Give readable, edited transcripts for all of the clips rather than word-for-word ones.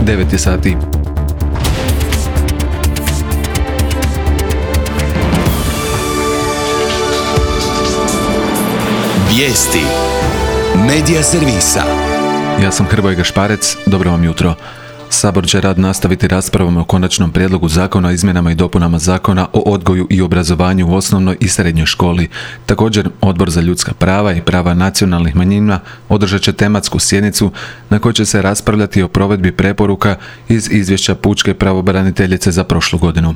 9 je sati. Vijesti Medija servisa. Ja sam Hrvoje Gašparec, dobro vam jutro. Sabor će rad nastaviti raspravom o konačnom prijedlogu zakona o izmjenama i dopunama zakona o odgoju i obrazovanju u osnovnoj i srednjoj školi. Također, Odbor za ljudska prava i prava nacionalnih manjina održat će tematsku sjednicu na kojoj će se raspravljati o provedbi preporuka iz izvješća pučke pravobraniteljice za prošlu godinu.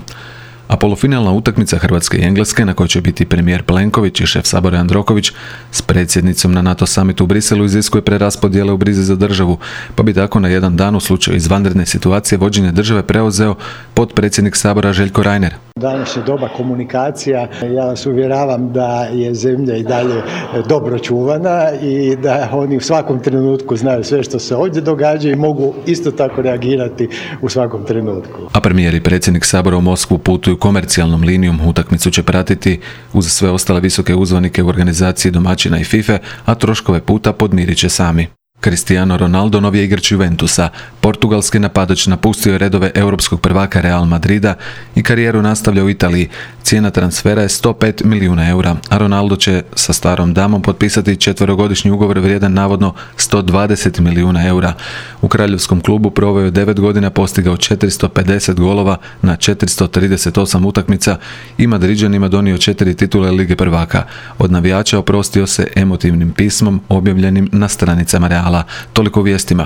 A polufinalna utakmica Hrvatske i Engleske, na kojoj će biti premijer Plenković i šef Sabora Jandroković s predsjednicom na NATO summitu u Briselu, iziskuje preraspodjele u brizi za državu, pa bi tako na jedan dan u slučaju izvanredne situacije vođenje države preuzeo potpredsjednik Sabora Željko Reiner. Danas je doba komunikacija, ja vas uvjeravam da je zemlja i dalje dobro čuvana i da oni u svakom trenutku znaju sve što se ovdje događa i mogu isto tako reagirati u svakom trenutku. A premijer i predsjednik Sabora u Moskvu putuju komercijalnom linijom, utakmicu će pratiti uz sve ostale visoke uzvanike u organizaciji domaćina i FIFA, a troškove puta podmirit će sami. Cristiano Ronaldo, novi je igrač Juventusa. Portugalski napadač napustio je redove europskog prvaka Real Madrida i karijeru nastavlja u Italiji. Cijena transfera je 105 milijuna eura, a Ronaldo će sa starom damom potpisati 4-godišnji ugovor vrijedan navodno 120 milijuna eura. U kraljevskom klubu proveo je 9 godina, postigao 450 golova na 438 utakmica i Madriđanima donio 4 titule Lige prvaka. Od navijača oprostio se emotivnim pismom objavljenim na stranicama Reala. Toliko u vijestima.